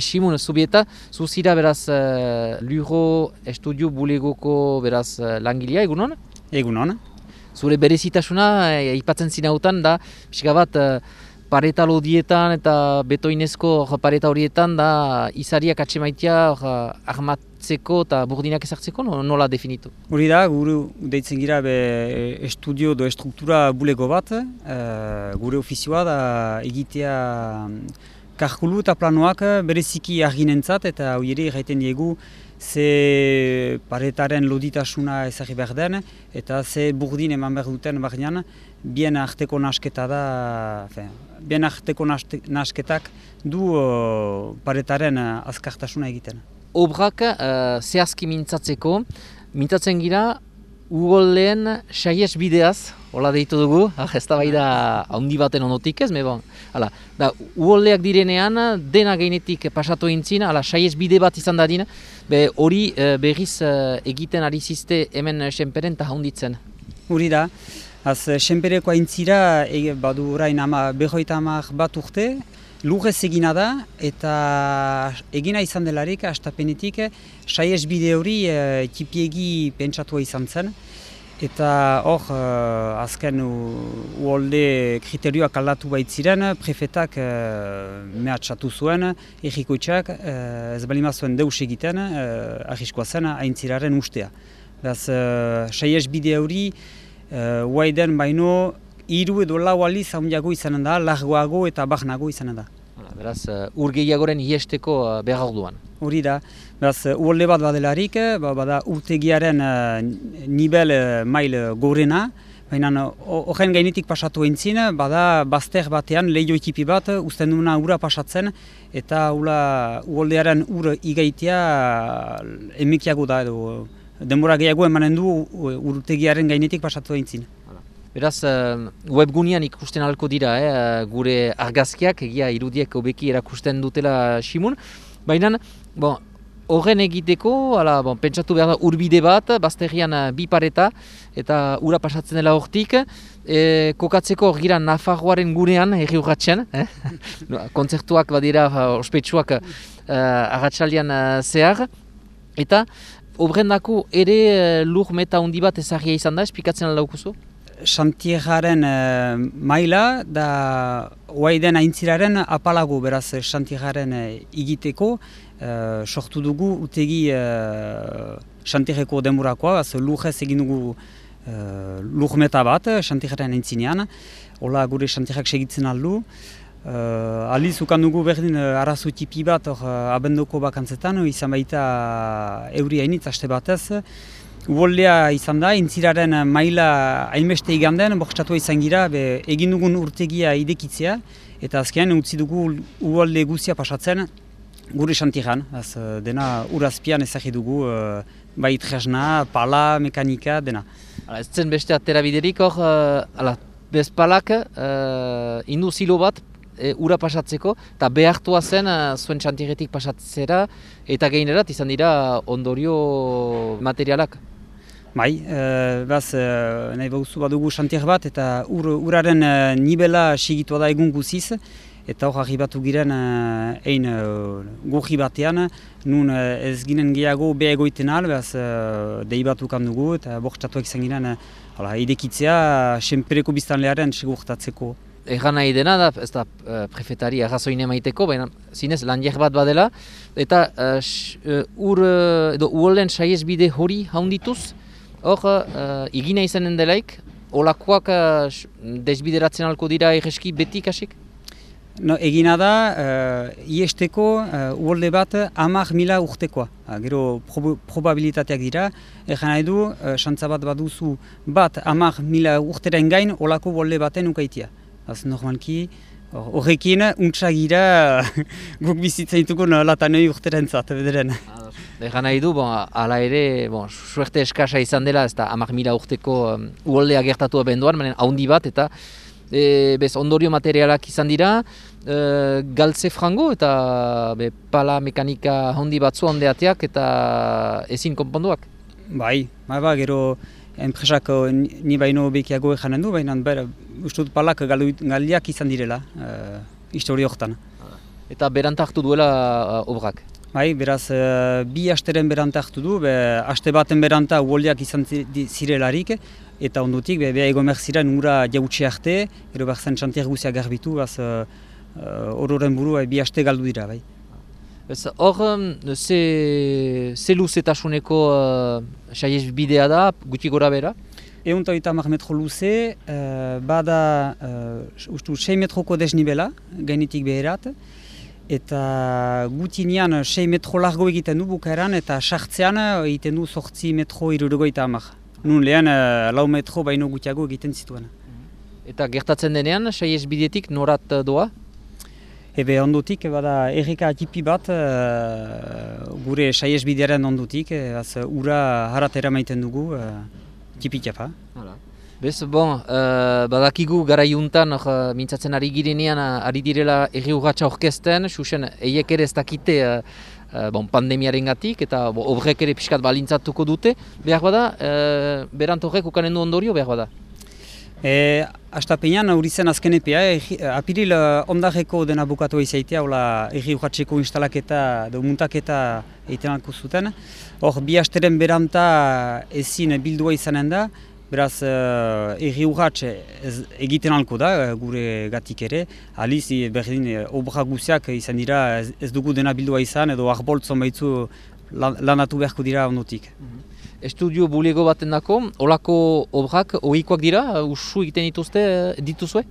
Simon, Zubieta, zuzira beraz Luro Estudio Bulegoko beraz langilea, egunon? Egunon. Zure berezitasuna aipatzen zinautan da, pixka bat pareta lodietan eta betoinezko pareta horietan da izariak atxemaitia ahmatzeko eta burdinak ezartzeko, nola definitu? Hori da, gure deitzen gira estudio do estruktura bulego bat, gure ofizioa da egitea kalkulu eta planoak bereziki arginentzat eta hori egiten diegu ze paretaren loditasuna ezagri behar den eta ze burdin eman behar duten barnean bien arteko nasketa da, bien arteko nasketak du paretaren azkartasuna egiten. Obrak zehazki mintzatzen gira ugolleen saies bideaz, hola deitu dugu, ez da bai da handi baten ondotik ez, ugolleak direnean dena gainetik pasatu eintzin, saies bide bat izan dadin, hori berriz egiten ari zizte hemen senperen eta handitzen. Hori da, senpereko aintzira badu orain 50 bat urte, lurrez egina da eta egina izan delarik hastapenetik saies bide hori tipiegi pentsatua izan zen. Eta hor, azken uholde kriterioak aldatu baitziren, prefetak mehatxatu zuen, errikoitzak ez balima zuen deus egiten, arriskoa zen aintziraren ustea. Beraz, saies bide hori, guaiden baino, 3 edo 4 aldiz handiago izanen da, largoago eta barnago izanen da. Beraz, ur gehiagoren iesteko behar orduan. Hori da, beraz, uholde bat badelarik, bada urtegiaren nivel mail gorena, baina horren gainetik pasatu eintzin, bada bazter batean lehio ekipi bat, uzten duena ura pasatzen, eta uholdearen ur igaitea emekiago da, edo denbora gehiago emanen du urtegiaren gainetik pasatu eintzin. Beraz, webgunean ikusten ahalko dira, gure argazkiak, egia irudiek hobeki erakusten dutela Simon. Baina, horren egiteko, pentsatu behar da urbide bat, bazterrian 2 pareta, eta ura pasatzen dela hortik, kokatzeko hor gira Nafarroaren gunean, herri urratxean, kontzertuak badira ospetsuak arratsaldean zehar, eta obrendako ere lur meta handi bat ezagia izan da, esplikatzen aldaukuzu? Xantierraren maila da guaiden aintziraren apalago, beraz xantierraren egiteko sortu dugu utegi xantierreko denborakoa, lurrez egin dugu lurmeta bat xantierraren aintzinean, hola gure xantierrak segitzen aldu. Aliz ukan dugu berdin arazo tipi bat abendoko bakantzetan, izan baita euri hainitz aste batez. Uholdea izan da, aintziraren maila hainbeste iganden, bortxatua izan gira, egin dugun urtegia idekitzea, eta azkenean utzi dugu uholde guzia pasatzen gure xantierran. Dena urazpian ezagri dugu, bai tresna, pala, mekanika, dena. Ez zen beste aterabiderik hor, bezpalak induzilo bat ura pasatzeko, eta behartua zen zuen xantierretik pasatzera, eta gainerat izan dira ondorio materialak. Bai, nahi bauzu badugu xantier bat eta uraren nibela sigitua da egun guziz, eta hor arribatu giren ein goji batean, nun ez ginen gehiago beha egoiten al, dei bat ukan dugu eta bortxatuak izan ginen idekitzea senpereko biztanlearen segurtatzeko. Erran nahi dena da, ez da prefetari arrazoin emaiteko, baina zinez landiak bat badela, eta uholden saies bide hori haundituz, hor igina izanen delaik, olakoak desbideratzen alko dira egeski beti kasik? Egina da, iesteko uholde bat 10.000 urtekoa. Gero probabilitateak dira, erran nahi du, xantza bat baduzu bat 10.000 urteren gain olako uholde baten ukaitia. Normalki, horrekin untsagira guk bizitzen ditugun latanoi urterentzat, bederen. Egan nahi du, ala ere, suerte eskasa izan dela, ez da 10.000 urteko uholdea gertatu abenduan, haundi bat, eta ondorio materialak izan dira, galtze frango eta pala mekanika haundi batzu handeateak eta ezin konponduak. Bai, gero enpresak ni baino bekiago ejanen du, baina uste dut palak galdiak izan direla historia horretan. Eta beranta hartu duela obrak. Bai, beraz, bi asteren beranta hartu du, aste baten beranta uholdeak izan zirelarik, eta ondotik, beha egomer ziren ura jautxe arte, ero behar zen xantier guzia garbitu, ororen buru bi aste galdu dira, bai. Hor, ze luzetasuneko saiez bidea da, guti gora bera? 130 metro luze, bada 6 metroko desnibela, gainetik beherat, eta gutinean 6 metro largo egiten du bukaeran, eta sartzean egiten du 8 metro 70. Nun lehen 4 metro baino gutiago egiten zituen. Eta gertatzen denean, saiez bidetik norat doa? Ebe ondotik, bada erreka atipi bat gure saiez bidearen ondotik, ura haratera maiten dugu, tipitiapa. Bez, badakigu garaiuntan mintzatzen ari girenean ari direla erri urratxa orkesten, susen eiek ere ez dakite pandemiaren gatik eta obrek ere pixkat balintzatuko dute. Behar bada, berant horrek ukanen du ondorio, behar bada? Astapenean hori zen azken epea, apiril ondarreko dena bukatu izaitea, erri urratxeko instalaketa edo muntaketa egiten alko zuten. Hor, bi asteren beranta ezin bildua izanen da, beraz, erri urratx egiten alko da, gure gatik ere. Aliz, berdin, obra guziak izan dira ez dugu dena bildua izan, edo arboltzon baitzu lanatu beharko dira ondotik. Estudio bulego baten dako, olako obrak ohikoak dira, usu egiten dituzue?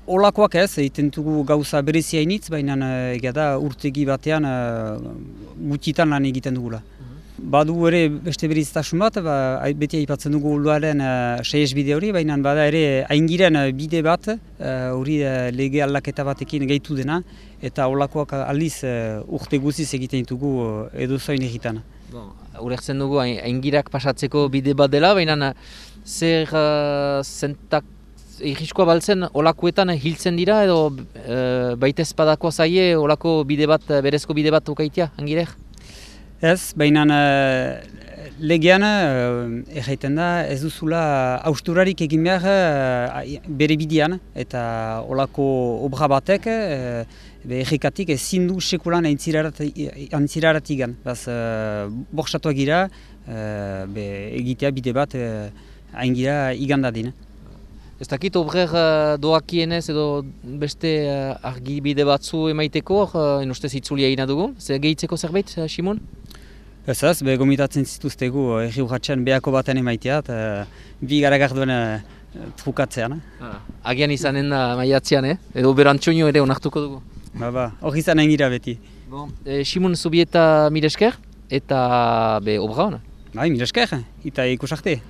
Olakoak ez, egiten dugu gauza berezia initz, baina egia da urtegi batean gutitan lan egiten dugula. Badu ere beste beriztasun bat, beti aipatzen dugu uluaren saiez bide hori, baina bada ere aingiren bide bat, hori lege aldaketa batekin gehitu dena, eta olakoak aldiz urte guziz egiten ditugu edozoin egitan. Urertzen dugu aingirak pasatzeko bide bat dela, baina zer irriskoa baltzen olakoetan hiltzen dira edo baitez padako zaie olako bide bat, berezko bide bat ukaitea, angirek? Ez, baina legean erraiten da ez duzula hausturarik egin behar bere bidean eta olako obra batek errekatik ezin du sekulan aintzirarat igan. Borxatuak gira egitea bide bat aingira igan dadin. Ez dakit obrer doakienez edo beste argibide batzu emaiteko, ustez itzulia egina dugu. Zer gehitzeko zerbait, Simon? Ez, gomitatzen zituztegu erri urratxean behako baten emaitea, bi garagardoen trukatzean. Agian izanen da maiatzean, edo berantxoino ere onartuko dugu. Hor izan engira beti. Simon Zubieta mire esker eta obra hona. Mire esker, eta ikusarte.